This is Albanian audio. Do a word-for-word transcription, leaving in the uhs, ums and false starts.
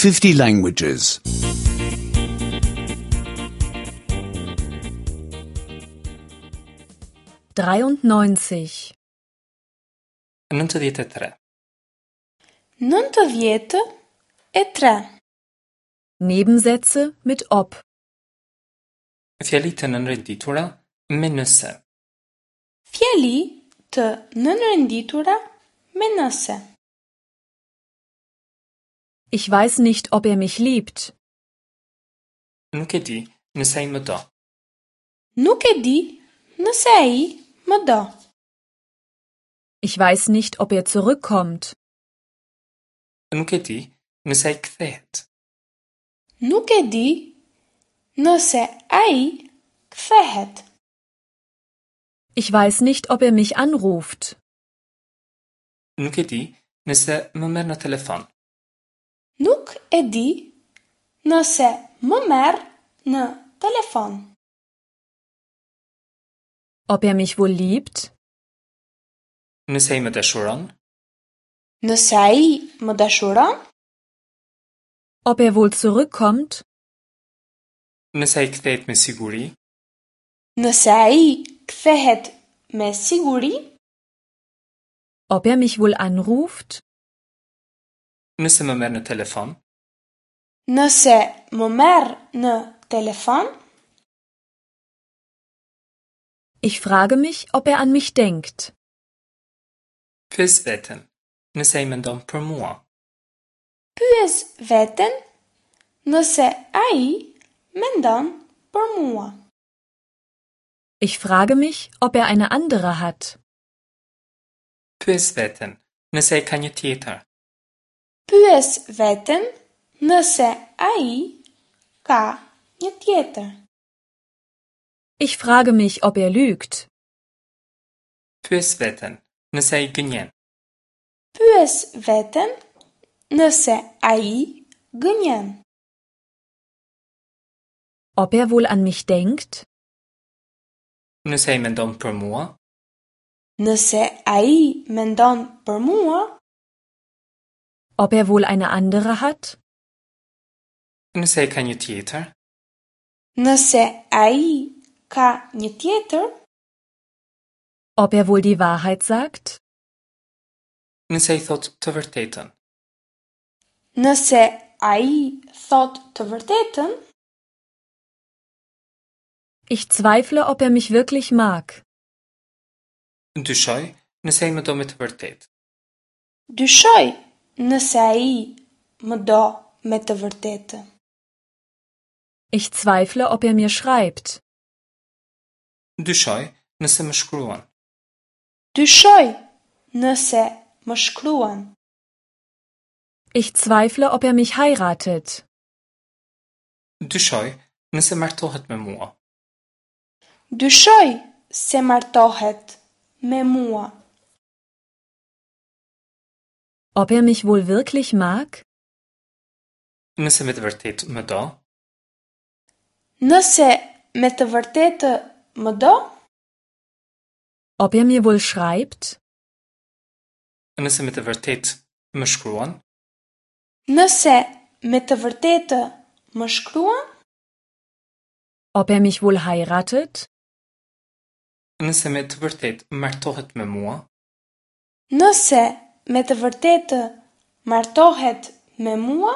fifty languages. dreiundneunzig. Nëntëdhjetë e tre. Nëntëdhjetë e tre. Nebensätze mit ob. Fjali të nënrenditura me nëse. Fjali të nënrenditura me nëse. Ich weiß nicht, ob er mich liebt. Nuk e di nëse ai më do. Nuk e di nëse ai më do. Ich weiß nicht, ob er zurückkommt. Nuk e di nëse ai kthehet. Nuk e di nëse ai kthehet. Ich weiß nicht, ob er mich anruft. Nuk e di nëse më merr në telefon. Nuk e di nëse më merr në telefon. Ob er mich wohl liebt? Nëse ai më dashuron? Nëse ai më dashuron? Ob er wohl zurückkommt? Nëse ai kthehet me siguri? Nëse ai kthehet me siguri? Ob er mich wohl anruft? Nëse më merr në telefon? Nëse më merr në telefon? Ich frage mich, ob er an mich denkt. Pyes veten, nëse ai mendon për mua. Pyes veten nëse ai mendon për mua. Ich frage mich, ob er eine andere hat. Pyes veten, nëse ai ka një tjetër. Pyes veten nëse ai ka një tjetër. Ich frage mich, ob er lügt. Pyes veten, nëse ai gënjen. Pyes veten nëse ai gënjen. Ob er wohl an mich denkt? Nëse ai mendon për mua? Nëse ai mendon për mua? Ob er wohl eine andere hat? Nëse ai ka një tjetër? Nëse ai ka një tjetër? Ob er wohl die Wahrheit sagt? Nëse ai thotë të vërtetën. Nëse ai thotë të vërtetën? Ich zweifle, ob er mich wirklich mag. Dyshoj nëse ai më do me të vërtetë. Dyshoj nëse ai më do me të vërtetë. Ich zweifle, ob er mir schreibt. Dyshoj nëse më shkruan. Dyshoj nëse më shkruan. Ich zweifle, ob er mich heiratet. Dyshoj nëse martohet me mua. Dyshoj se martohet me mua. Ob er mich wohl wirklich mag? Nëse me të vërtetë më do? Nëse me të vërtetë më do? Ob er mir wohl schreibt? Nëse me të vërtetë më shkruan? Nëse me të vërtetë më shkruan? Ob er mich wohl heiratet? Nëse me të vërtetë martohet me mua? Nëse me të vërtetë martohet me mua?